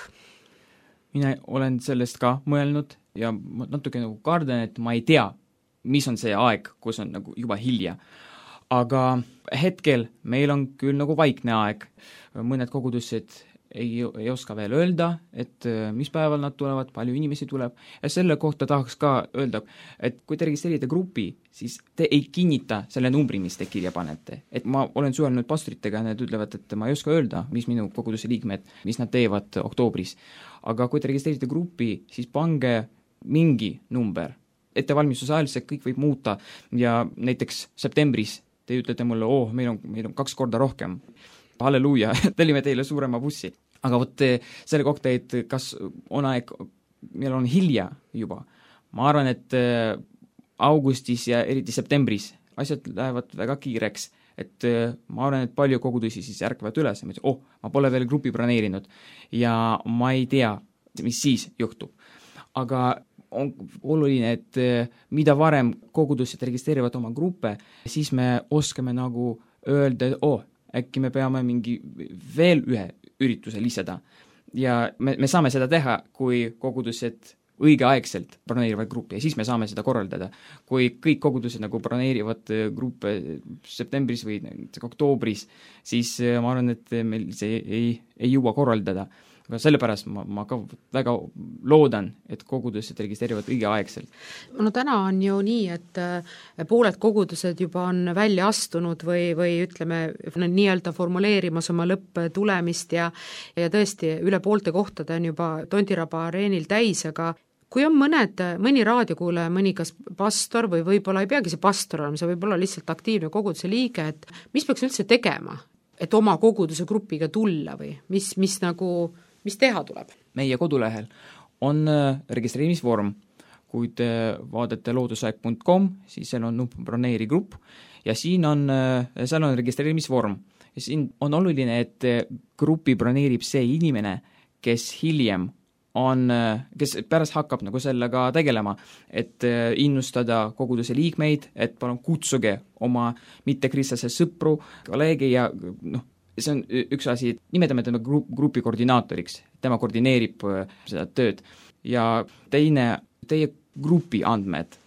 Mina olen sellest ka mõelnud ja natuke nagu kardan, et ma ei tea, mis on see aeg, kus on nagu juba hilja. Aga hetkel meil on küll nagu vaikne aeg. Mõned kogudused ei, ei oska veel öelda, et mis päeval nad tulevad, palju inimesi tuleb. Ja selle kohta tahaks ka öelda, et kui te registreerite grupi, siis te ei kinnita selle numbri, mis te kirja panete. Et ma olen suhelnud pastoritega ja nad ütlevad, et ma ei oska öelda, mis minu koguduse liikmed, mis nad teevad oktoobris. Aga kui te registreerite grupi, siis pange mingi number. Ettevalmistuse ajal see kõik võib muuta ja näiteks septembris te ütlete mulle, oh, meil on, meil on kaks korda rohkem. Halleluuja, tellime teile suurema bussi. Aga võt selle kohta, et kas on aeg, meil on hilja juba. Ma arvan, et augustis ja eriti septembris asjad lähevad väga kiireks. Et ma arvan, et palju kogudusi siis ärkavad üles. Ma ütlen, oh, ma pole veel grupi broneerinud ja ma ei tea, mis siis juhtub. Aga on oluline, et mida varem kogudused registreerivad oma gruppe, siis me oskame nagu öelda, oh, äkki me peame mingi veel ühe ürituse lisada. Ja me, me saame seda teha, kui kogudused õigeaegselt broneerivad gruppi ja siis me saame seda korraldada. Kui kõik kogudused nagu broneerivad gruppe septembris või oktoobris, siis ma arvan, et meil see ei, ei jõua korraldada. Aga sellepärast ma, ma ka väga loodan, et kogudused registreerivad õigeaegselt. No täna on ju nii, et pooled kogudused juba on välja astunud või, või ütleme, nii-öelda formuleerimas oma lõpptulemist ja, ja tõesti üle poolte kohtade on juba Tondiraba areenil täis, aga kui on mõned, mõni raadiokuulaja, mõni kas pastor või võib-olla ei peagi see pastor olema, see võib olla lihtsalt aktiivne koguduse liige, et mis peaks üldse tegema, et oma koguduse grupiga tulla või mis, mis nagu mis teha tuleb? Meie kodulehel on registreerimisvorm. Kui te vaadate loodusaeg punkt com, siis seal on nupp broneeri grupp ja siin on, seal on registreerimisvorm. Ja siin on oluline, et grupi broneerib see inimene, kes hiljem on, kes pärast hakkab nagu sellega tegelema, et innustada koguduse liikmeid, et palun kutsuge oma mittekristlaste sõpru, kolleege ja noh, see on üks asi, nimetame tema grupi koordinaatoriks, tema koordineerib seda tööd. Ja teine, teie grupi andmed,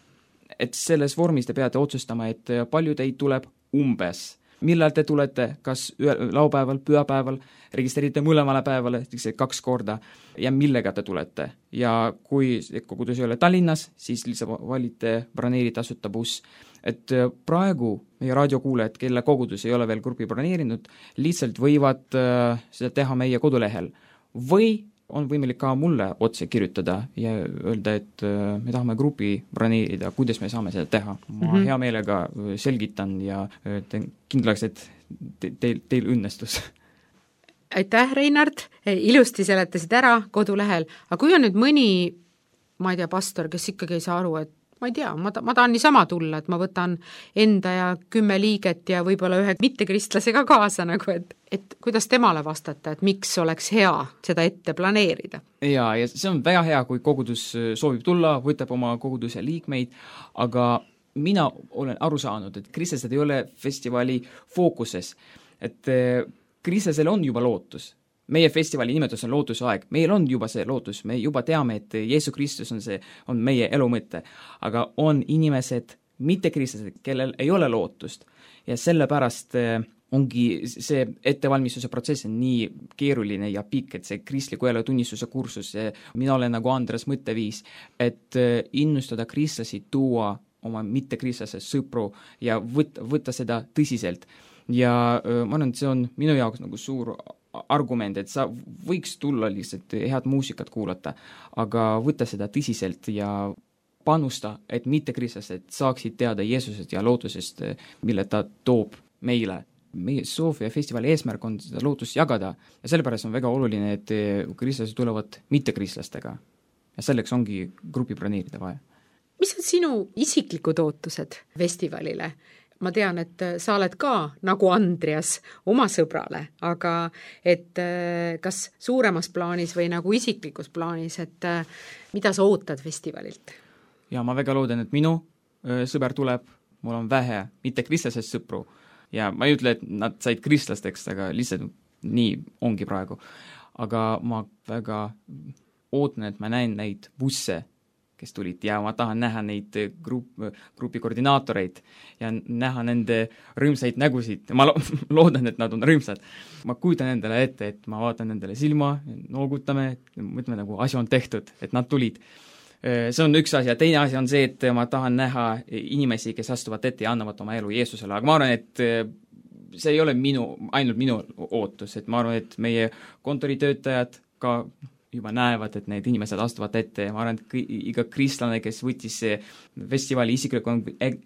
et selles vormis te peate otsustama, et palju teid tuleb umbes. Millal te tulete, kas laupäeval, pühapäeval, registreerite mõlemale päevale, kaks korda, ja millega te tulete. Ja kui kogudus ei ole Tallinnas, siis lihtsalt valite broneeri tasuta buss. Et praegu meie raadiokuulajad, kelle kogudus ei ole veel grupi broneerinud, lihtsalt võivad äh, seda teha meie kodulehel. Või on võimalik ka mulle otse kirjutada ja öelda, et äh, me tahame grupi broneerida, kuidas me saame seda teha. Ma mm-hmm. hea meelega selgitan ja äh, kindlaks, et te, teil, teil õnnestus. Aitäh, Reinhard, ilusti seletasid ära kodulehel, aga kui on nüüd mõni, ma ei tea, pastor, kes ikkagi ei saa aru, et ma ei tea, ma, ta, ma tahan niisama tulla, et ma võtan enda ja kümme liiget ja võib-olla ühe mittekristlase ka kaasa, nagu et, et kuidas temale vastata, et miks oleks hea seda ette planeerida? Ja, ja see on väga hea, kui kogudus soovib tulla, võtab oma koguduse liikmeid, aga mina olen aru saanud, et kristlased ei ole festivali fookuses, et kristlasel on juba lootus. Meie festivali nimetus on lootuse aeg. Meil on juba see lootus, me juba teame, et Jeesus Kristus on see, on meie elu mõte. Aga on inimesed, mittekristlased, kellel ei ole lootust ja sellepärast ongi see ettevalmistuse protsess on nii keeruline ja pikk, et see kristliku elu tunnistuse kursus, mina olen nagu Andres mõtteviis, et innustada kristlasi tuua oma mittekristlases sõpru ja võtta, võtta seda tõsiselt. Ja ma arvan, et see on minu jaoks nagu suur argument, et sa võiks tulla lihtsalt head muusikat kuulata, aga võtta seda tõsiselt ja panusta, et mittekristlased saaksid teada Jeesusest ja lootusest, mille ta toob meile. Meie Sofia festivali eesmärk on seda lootust jagada ja sellepärast on väga oluline, et kristlased tulevad mittekristlastega ja selleks ongi grupi broneerida vaja. Mis on sinu isiklikud ootused festivalile? Ma tean, et sa oled ka nagu Andreas oma sõbrale, aga et kas suuremas plaanis või nagu isiklikus plaanis, et mida sa ootad festivalilt? Ja ma väga loodan, et minu sõber tuleb, mul on vähe mittekristlastest sõpru ja ma ei ütle, et nad said kristlasteks, aga lihtsalt nii ongi praegu. Aga ma väga ootan, et ma näen neid busse, kes tulid ja ma tahan näha neid grupp, grupi koordinaatoreid ja näha nende rõõmsaid nägusid. Ma lo- loodan, et nad on rõõmsad. Ma kujutan endale ette, et ma vaatan nendele silma, noogutame, mõtleme nagu asi on tehtud, et nad tulid. See on üks asi ja teine asi on see, et ma tahan näha inimesi, kes astuvad ette ja annavad oma elu Jeesusele, aga ma arvan, et see ei ole minu, ainult minu ootus, et ma arvan, et meie kontoritöötajad ka juba näevad, et need inimesed astuvad ette ja ma arvan, et iga kristlane, kes võttis festivali isikliku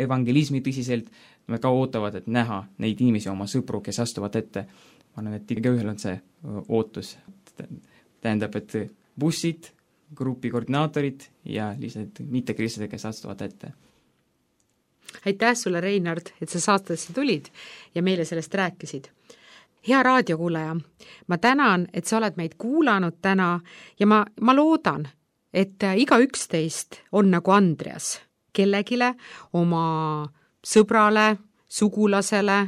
evangelismi tõsiselt, me ka ootavad, et näha neid inimesi, oma sõpru, kes astuvad ette. Ma arvan, et iga ühel on see ootus. Tähendab, et bussid, grupi koordinaatorid ja lihtsalt mittekristlased, kes astuvad ette. Aitäh sulle, Reinhard, et sa saatesse tulid ja meile sellest rääkisid. Hea raadiokuulaja, ma tänan, et sa oled meid kuulanud täna ja ma, ma loodan, et iga üksteist on nagu Andreas, kellegile, oma sõbrale, sugulasele,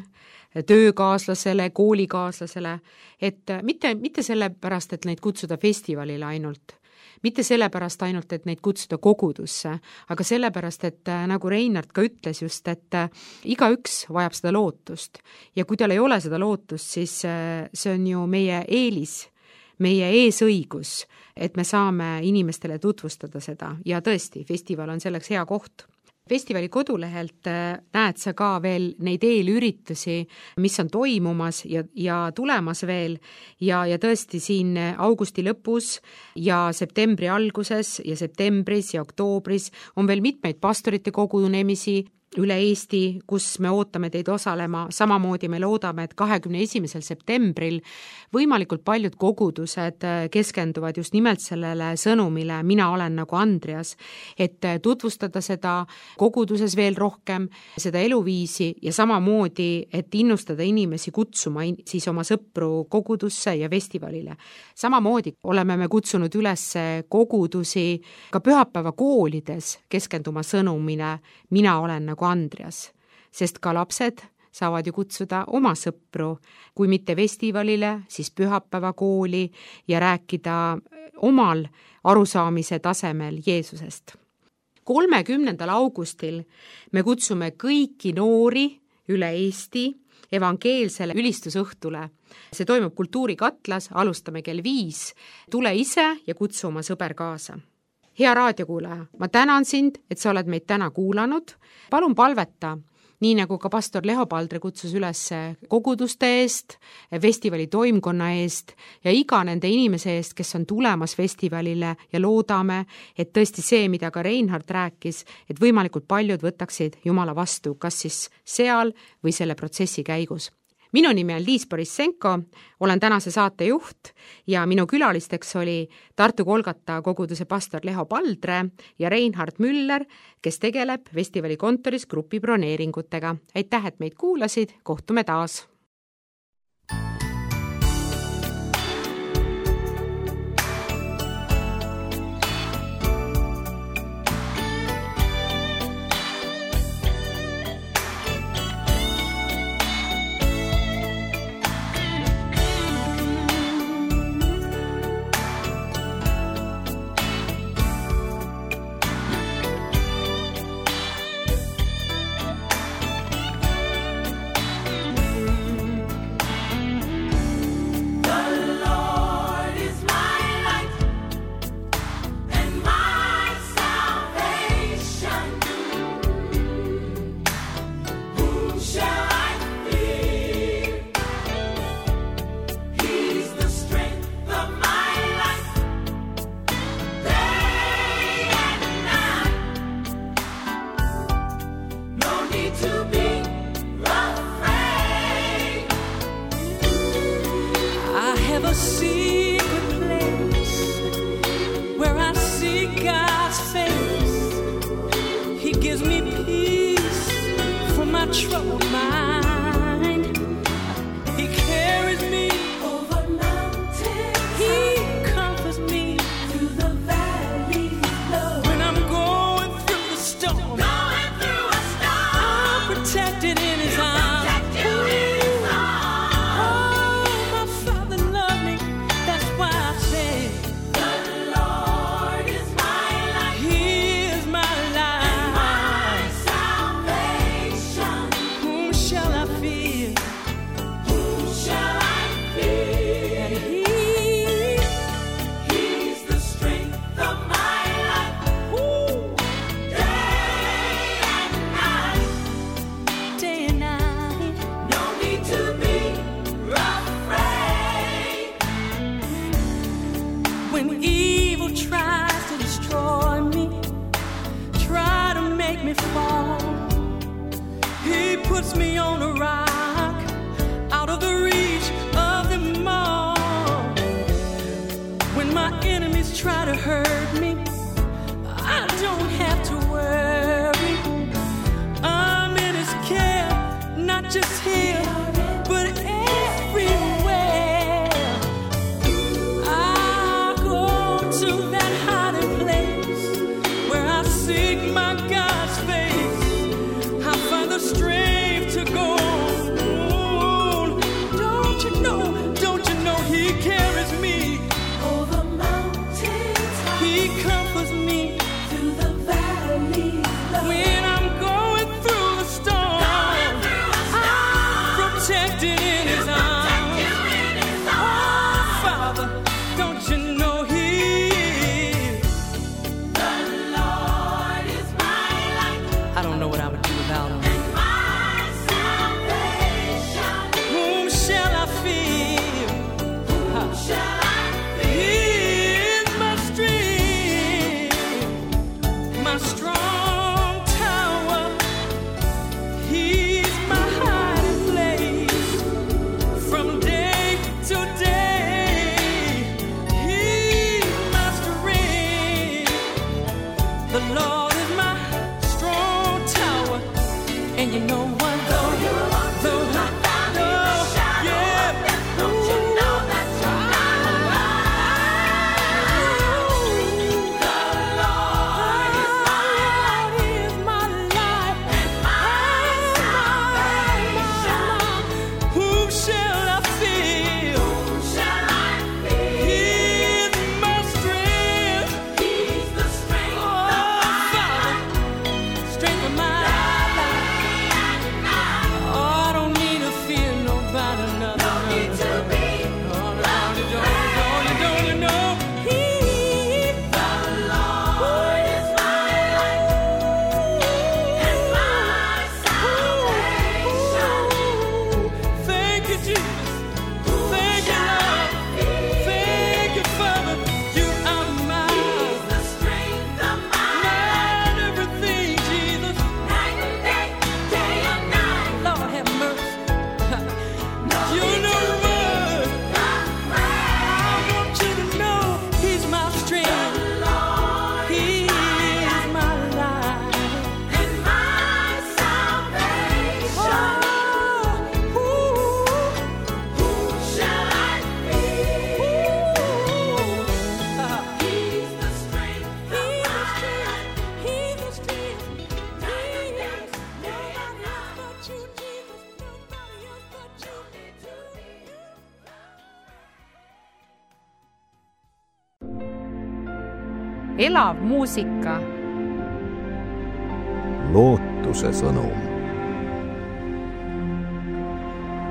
töökaaslasele, koolikaaslasele, et mitte, mitte selle pärast, et neid kutsuda festivalile ainult, mitte sellepärast ainult, et neid kutsuda kogudusse, aga sellepärast, et nagu Reinhard ka ütles just, et igaüks vajab seda lootust ja kui tal ei ole seda lootust, siis see on ju meie eelis, meie eesõigus, et me saame inimestele tutvustada seda ja tõesti, festival on selleks hea koht. Festivali kodulehelt näed sa ka veel neid eelüritusi, mis on toimumas ja, ja tulemas veel ja, ja tõesti siin augusti lõpus ja septembri alguses ja septembris ja oktoobris on veel mitmeid pastorite kogunemisi üle Eesti, kus me ootame teid osalema, samamoodi me loodame, et kahekümne esimesel septembril võimalikult paljud kogudused keskenduvad just nimelt sellele sõnumile, mina olen nagu Andreas, et tutvustada seda koguduses veel rohkem, seda eluviisi ja samamoodi, et innustada inimesi kutsuma siis oma sõpru kogudusse ja festivalile. Samamoodi oleme me kutsunud üles kogudusi ka pühapäeva koolides keskenduma sõnumile, mina olen nagu Andreas, sest ka lapsed saavad ju kutsuda oma sõpru, kui mitte festivalile, siis pühapäeva kooli ja rääkida omal arusaamise tasemel Jeesusest. kolmekümnendal augustil me kutsume kõiki noori üle Eesti evangeelsele ülistusõhtule. See toimub Kultuurikatlas, alustame kell viis. Tule ise ja kutsu oma sõber kaasa. Hea raadiokuulaja, ma tänan sind, et sa oled meid täna kuulanud. Palun palveta, nii nagu ka pastor Leho Paldre kutsus üles koguduste eest, festivali toimkonna eest ja iga nende inimese eest, kes on tulemas festivalile ja loodame, et tõesti see, mida ka Reinhard rääkis, et võimalikult paljud võtaksid Jumala vastu, kas siis seal või selle protsessi käigus. Minu nimi on Liis Borissenko, olen tänase saate juht ja minu külalisteks oli Tartu Kolgata koguduse pastor Leho Paldre ja Reinhard Müller, kes tegeleb festivali kontoris grupi broneeringutega. Aitäh, et meid kuulasid, kohtume taas! secret place where I see God's face. He gives me peace for my troubled mind. He carries me over mountains. He comforts me through the valley low. When I'm going through the storm, going through a storm, I'm protected in His arms. Me on a rock out of the reach of them all. When my enemies try to hurt me, I don't have to worry. I'm in His care, not just here, but everywhere. I go to that hiding place where I seek my God's face. I find the strength to go on. Don't you know, don't you know He carries me over mountains. He comforts me through the valley low. When I'm going through a storm, I'm protected in His arms. Oh, Father, don't you know He the Lord is my light. I don't know what I would do without Him. And you know what? Though you're alone, though I found in the shadow, yeah. Don't you know that you're not alone? The Lord is my light, He is my light, and my salvation. Whom shall I fear? Whom shall I fear? He is my strength. He's the strength oh, of my life. Strength of my life. Elav muusika. Lootuse sõnum.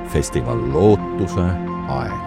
Festival Lootuse aeg.